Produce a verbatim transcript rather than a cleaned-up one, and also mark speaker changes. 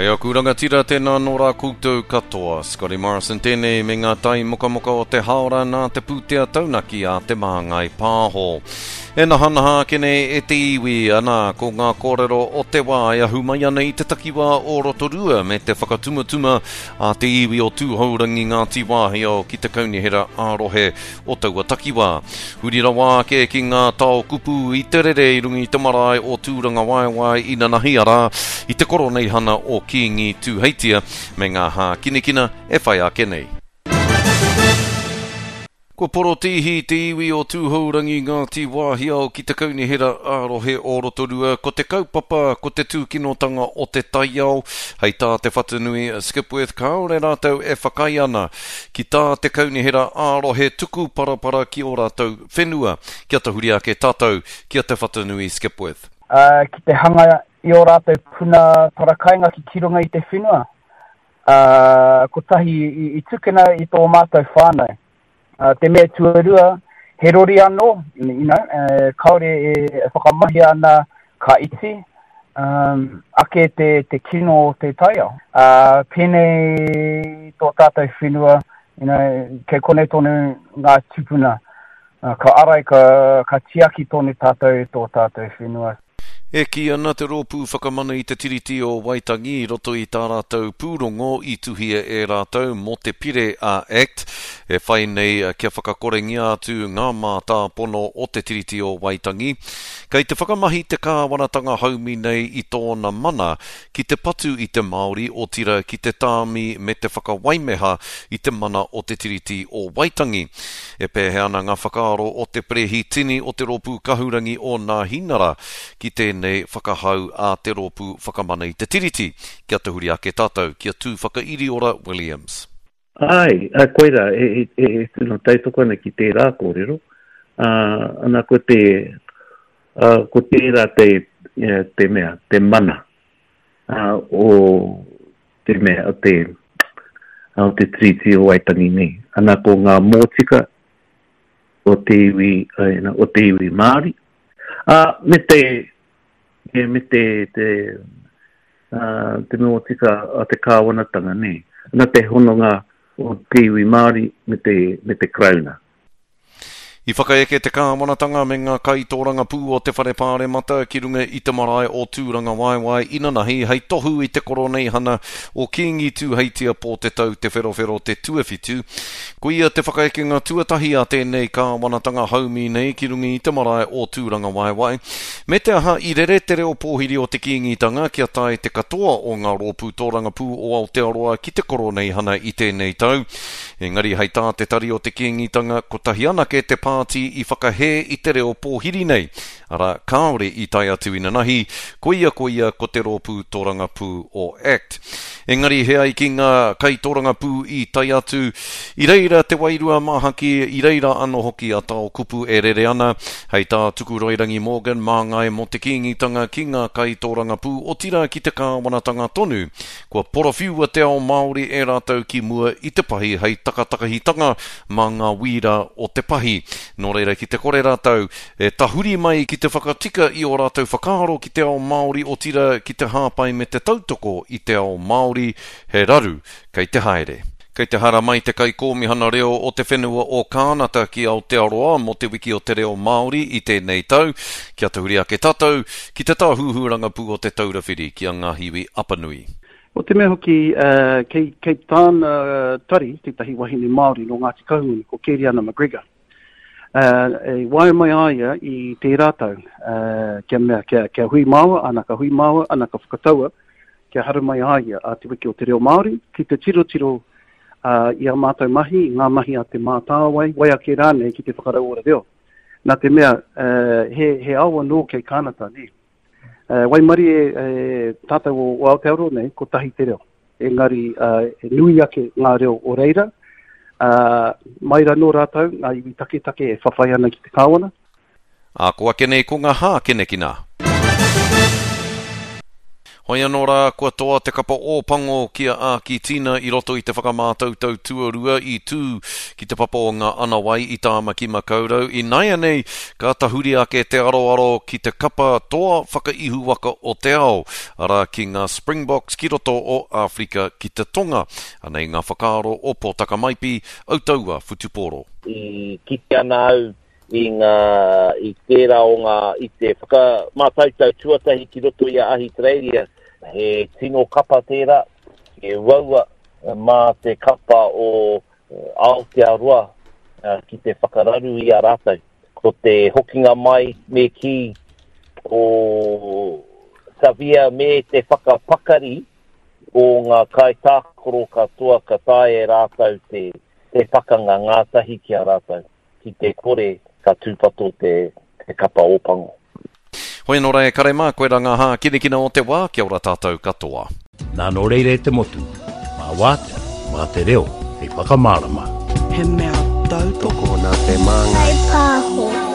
Speaker 1: Kei aku rangatira tēnā nō rā koutou katoa. Scotty Morrison tēnei me ngā tai mokamoka o te haora nā te pūtea taunaki a Te Māngai Pāho. E nahanaha ake nei e te iwi, ana ko ngā kōrero o te wā e ahu mai ana i te takiwā o Rotorua me te whakatumatuma a te iwi o Tūhourangi Ngāti Wāhiao ki te kaunihera ā-rohe o taua takiwā. Huri rawa ake ki ngā tao kupu i te rere i runga i te marae o Tūrangawaewae inanahi arā i te koroneihana o Kīngi Tūheitia me ngā hākinakina e whai ake nei. Kua porotīhi te iwi o Tūhourangi Ngāti Wāhiao ki te kaunihera ā-rohe o Rotorua, ko te kaupapa, ko te tūkinotanga o te taiao. Hei tā Te Whatanui Skipworth, kāore rātou e whakaae ana ki tā te kaunihera ā-rohe tuku parapara ki ō rātou whenua. Kia tahuri ake tātou ki a Te Whatanui Skipworth.
Speaker 2: Uh, ki te hanga i ō rātou puna parakainga ki ki runga i te whenua. Uh, kotahi i, i tukuna i tō mātou whānau. Uh, te mea tuarua, he rori anō, you know, uh, kāore e whakamahia ana ka iti, um, ake te, te kino o te taiao. Uh, pēnei tō tātou whenua, you know, kei konei tonu ngā tūpuna. Uh, ka arai, ka, ka tiaki tonu tātou tō tātou whenua.
Speaker 1: E kī ana te Rōpū Whakamana i te Tiriti o Waitangi i roto i tā rātou pūrongo i tuhia e rātou mō te pire a Act, e whai nei kia whakakorengia atu ngā mātāpono o te Tiriti o Waitangi. Kei te whakamahi te kāwanatanga haumi nei i tōna mana ki te patu i te Māori otirā ki te tāmi me te whakawaimeha i te mana o te Tiriti o Waitangi. E pēhea ana ngā whakaaro o te Perehitini o te Rōpū Kahurangi o Nāhinara ki tēnei whakahau a te Rōpū Whakamana i te Tiriti? Kia tahuri ake tātou ki a Tūwhakairiora Williams.
Speaker 3: Ai, a, koira, e, e, e, e tino tautoko ana ki tērā kōrero. Uh, ana ko te, uh, ko tērā te, te mea, te mana uh, o te mea, o te, o te Tiriti o Waitangi nei. Ana ko ngā mōtika o te iwi, uh, o te iwi Māori. Uh, me te, me te, te, uh, te mōtika a te kāwanatanga nei. Ana te hononga o te iwi Māori me te, me te Karauna.
Speaker 1: I whakaeke te kāwanatanga me ngā kaitōrangapū o te Whare Pāremata ki runga i te marae o Tūrangawaewae inanahi hei tohu i te koroneihana o Kīngi Tūheitia Pōtetau Te Wherowhero te Tuawhitu. Ko ia te whakaekenga tuatahi a tēnei kāwanatanga haumi nei ki runga i te marae o Tūrangawaewae. Me te aha i rere te reo pōhiri o te Kīngitanga kia tae te katoa o ngā rōpū tōrangapū o Aotearoa ki te koroneihana i tēnei tau. Engari hei tā te tari o te Kīngitanga, kotahi anake te pāti i whakahē i te reo pōhiri nei. Arā, kāore i tae atu inanahi, koia koia ko te rōpū tōrangapū o Act. Engari he ai ki ngā kaitōrangapū i tae atu, i reira te wairua māhaki, i reira anō hoki a tao kupu e rere ana, hei tā Tukuroirangi Morgan māngai mō te Kīngitanga ki ngā kaitōrangapū otirā ki te kāwanatanga tonu. Kua porowhiua te ao Māori e rātou ki mua i te pahi hei takatakahitanga mā ngā wīra o te pahi. Nō reira ki te kore rātou e tahuri mai ki te whakatika i ō rātou whakaaro ki te ao Māori otirā ki te hāpai me te tautoko i te ao Māori, he raru kei te haere. Kei te haramai te kaikōmihana reo o te whenua o Kānata ki Aotearoa mō te wiki o te reo Māori i tēnei tau. Kia tahuri ake tātou ki te tāhuhu rangapū o te Taura Whiri ki a Ngāhiwi Apanui.
Speaker 4: O te mea hoki, uh, kei, kei tāna tari, tētahi wahine Māori nō Ngāti Kahungunu, ko Keriana McGregor. Uh, e waia mai a ia i tērā tau, uh, kia mea, kia, kia hui māua, ana ka hui māua, ana ka whakataua, kia haramai a ia a te wiki o te reo Māori, ki te tirotiro uh, i a mātou mahi, i ngā mahi a te Mātāwai, wai ake rānei ki te whakarauora reo. Nā te mea, uh, he, he ao anō kei Kānata, nē. Uh, waimarie e, tātou o, o Aotearoa nei, kotahi te reo. Engari, uh, e nui ake ngā reo o reira, uh, mai rānō rātou, ngā iwi taketake e whawhai ana ki te kāwana.
Speaker 1: Ā, ko ake nei ko ngā hākinakina. Hoi anō rā, kua toa te kapa Ōpango ki a Ākitina i roto i te whakamātautau tuarua i tū ki te papa o ngā Anawai i Tāmaki Makaurau. Ināianei, ka tahuri ake te aroaro ki te kapa toa whakaihuwaka o te ao, arā ki ngā Springboks ki roto o Āwherika ki te Tonga. Anei ngā whakaaro o Pōtaka Maipi, Autaua Whutupōro.
Speaker 5: I kite ana au i ngā, i tērā o ngā, i te whakamātautau tuatahi ki roto i a Ahitereiria, he tino kapa tērā, he uaua mā te kapa o Aotearoa ki te whakararu i a rātou. Ko te hokinga mai me kī o Xavier me te whakapakari o ngā kaitākaro katoa ka taea e rātou te, te pakanga ngātahi ki a rātou, ki te kore ka tūpato te, te kapa Ōpango.
Speaker 1: Hoi anō rā e kare mā, koirā ngā hākinakina o te wā, kia ora tātou katoa.
Speaker 6: Nā nō reira e te motu, mā wātea, mā te reo, hei whakamārama.
Speaker 7: He mea tautoko
Speaker 8: Tokona te māngai.
Speaker 9: Kai pāho.